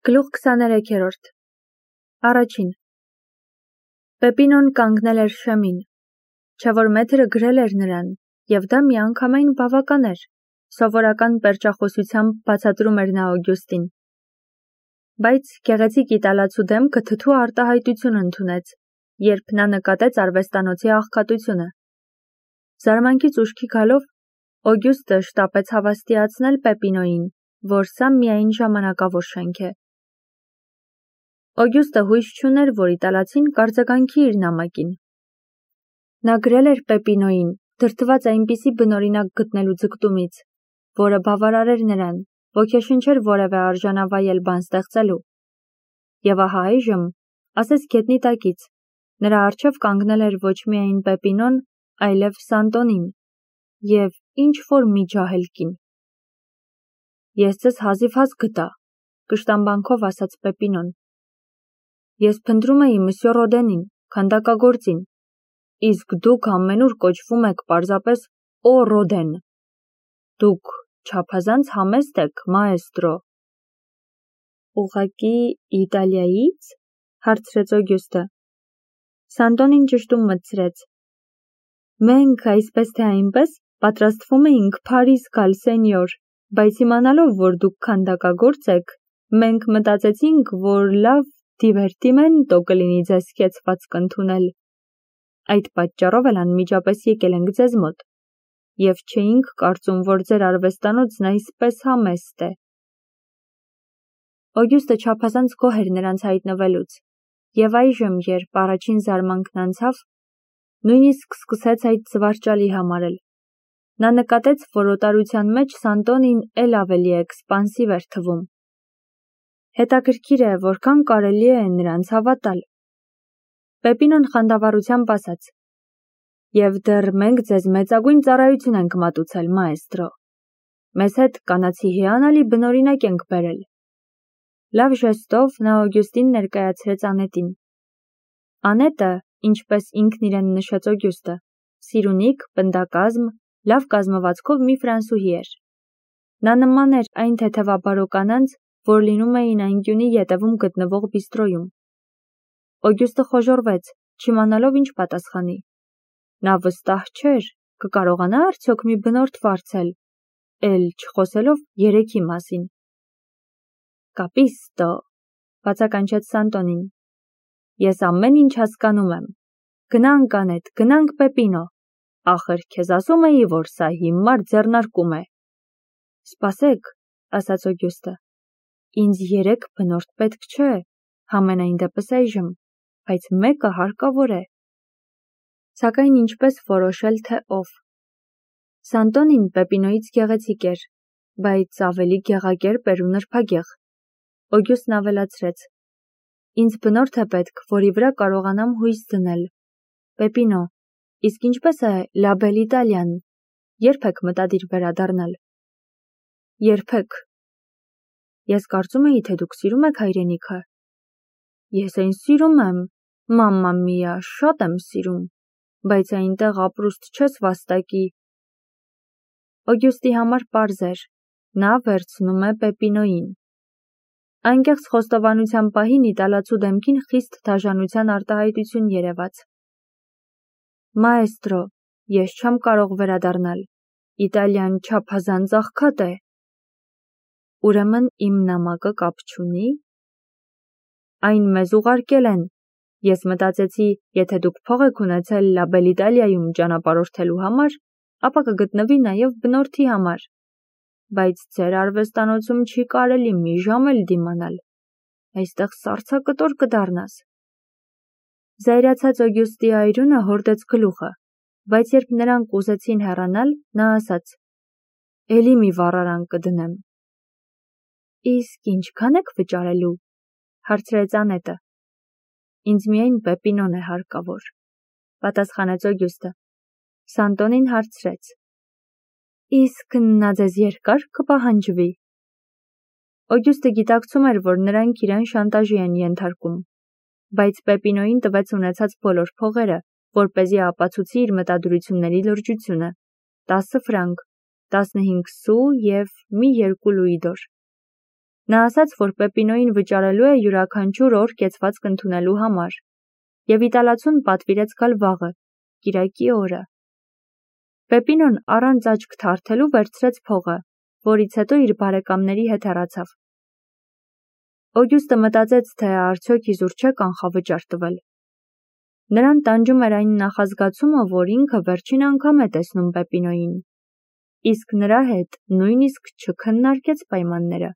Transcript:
Գլուխ 23-րդ Առաջին Պեպինոն կանգնել էր շեմին, չէ որ մեթրը գրել էր նրան, և դա միանգամայն բավական էր, սովորական պերճախոսությամբ բացատրում էր նա Օգյուստին։ Բայց գեղեցիկ իտալացու դեմքը թթու արտահայտություն ընդունեց, երբ նա նկատեց արվեստանոցի աղքատությունը։ Զարմանքից ուշքի գալով, Օգյուստը շտապեց հավաստիացնել Պեպինոյին, որ սա միայն ժամանակավոր շենք է։ Օգյուստը հույս չուներ, որ իտալացին կարձագանքի իր նամակին։ Նա գրել էր Պեպինոյին, դրդված այնպիսի բնօրինակ գտնելու ձգտումից, որը բավարարեր նրան, ոգեշնչեր որևէ արժանավայել բան ստեղծելու։ Եվ ահա այժմ, ասես գետնի տակից, նրա առջև կանգնել էր ոչ միայն Պեպինոն, այլև Սանտոնին, և ինչ-որ մի ջահել կին։ Ես ձեզ հազիվհազ գտա, կշտամբանքով ասաց Պեպինոն։ Ես փնտրում էի մսյո Ռոդենին, քանդակագործին, իսկ դուք ամենուր կոչվում եք պարզապես Օ Ռոդեն։ Դուք չափազանց համեստ եք, մաեստրո։ Ուղղակի Իտալիայից, հարցրեց Օգյուստը։ Սանտոնին ճշտում մտցրեց։ Մենք այսպես թե այնպես պատրաստվում էինք Փարիզ գալ, սենյոր, բայց իմանալով, որ դուք քանդակագործ եք, մենք մտածեցինք, որ լավ դիվերտիմենտո կլինի ձեզ կեցվածք ընդունել։ Այդ պատճառով էլ անմիջապես եկել ենք ձեզ մոտ, և չէինք կարծում, որ ձեր արվեստանոցն այսպես համեստ է։ Օգյուստը չափազանց գոհ էր նրանց հայտնվելուց, և այժմ, երբ առաջին զարմանքն անցավ, նույնիսկ սկսեց այդ զվարճալի համարել։ Նա նկատեց, որ օտարության մեջ Սանտոնին էլ ավելի էքսպանսիվ էր թվում։ Հետաքրքիր է, որքան կարելի է նրանց հավատալ։ Պեպինոն խանդավառությամբ ասաց. Եվ դեռ մենք ձեզ մեծագույն ծառայություն ենք մատուցել, մաեստրո։ Մեզ հետ կանացի հիանալի բնօրինակ ենք բերել։ Լավ ժեստով նա Օգյուստին ներկայացրեց Անետին։ Անետը, ինչպես ինքն իրեն նշեց Օգյուստը, սիրունիկ, պնդակազմ, լավ կազմվածքով մի ֆրանսուհի էր։ Նա նման էր այն թեթևաբարո կանանց, որ լինում էին այն գյունի ետևում գտնվող բիստրոյում։ Օգյուստը խոժոռվեց, չիմանալով ինչ պատասխանի։ Նա վստահ չէր, կկարողանա արդյոք մի բնորդ վարձել, էլ չխոսելով երեքի մասին։ Կապիստո, բացականչեց Սանտոնին։ Ես ամեն ինչ հասկանում եմ։ Գնանք Անետ, գնանք Պեպինո։ Ախր քեզ ասում էի, որ սա հիմար ձեռնարկում է։ Սպասեք, ասաց Օգյուստը։ Ինձ 3 բնորդ պետք չէ, համենայն դեպս այժմ, բայց մեկը հարկավոր է։ Սակայն ինչպես որոշել, թե ով։ Սանտոնին Պեպինոյից գեղեցիկ էր, բայց ավելի գեղակերպ էր ու նրբագեղ։ Օգյուստն ավելացրեց. Ինձ բնորդ է պետք, որի վրա կարողանամ հույս դնել։ Պեպինո, իսկ ինչպես է Լա Բել Իտալիան, երբ եք մտադիր վերադառնալ։ Երբեք։ Ես կարծում էի, թե դուք սիրում եք հայրենիքը։ Ես այն սիրում եմ, մամմա միա, շատ եմ սիրում, բայց այնտեղ ապրուստ չես վաստակի։ Օգյուստի համար պարզ էր, նա վերցնում է Պեպինոյին։ Անկեղծ խոստովանության պահին իտալացու դեմքին խիստ դաժանության արտահայտություն երևաց։ Մաեստրո, ես չեմ կարող վերադառնալ։ Իտալիան չափազանց աղքատ է։ Ուրեմն իմ նամակը կապ չունի։ Այն մեզ ուղարկել են։ Ես մտածեցի, եթե դուք փող եք ունեցել Լա Բել Իտալիայում ճանապարհորդելու համար, ապա կգտնվի նաև բնորդի համար։ Բայց ձեր արվեստանոցում չի կարելի մի ժամ էլ դիմանալ։ Այստեղ սառցակտոր կդառնաս։ Զայրացած Օգյուստի այրունը հորդեց գլուխը, բայց երբ նրանք ուզեցին հեռանալ, նա ասաց. Էլի մի վառարան կդնեմ։ Իսկ ինչքան եք վճարելու, հարցրեց Անետը։ Ինձ միայն Պեպինոն է հարկավոր, պատասխանեց Օգյուստը։ Սանտոնին հարցրեց. Իսկ նա ձեզ երկար կպահանջվի։ Օգյուստը գիտակցում էր, որ նրանք իրան շանտաժի են ենթարկում, բայց Պեպինոյին տվեց ունեցած բոլոր փողերը, որպեսզի ապացուցի իր մտադրությունների լրջությունը. 10 ֆրանկ, 15 սու և մի 2 լուիդոր։ Նա ասաց, որ Պեպինոյին վճարելու է յուրաքանչյուր օր կեցվածք ընդունելու համար, և իտալացուն պատվիրեց գալ վաղը, կիրակի օրը։ Պեպինոն առանց աչք թարթելու վերցրեց փողը, որից հետո իր բարեկամների հետ հեռացավ։ Օգյուստը մտածեց, թե արդյոք իզուր չէ կանխավճար տվել։ Նրան տանջում էր այն նախազգացումը, որ ինքը վերջին անգամ է տեսնում Պեպինոյին, իսկ նրա հետ նույնիսկ չքննարկեց պայմանները։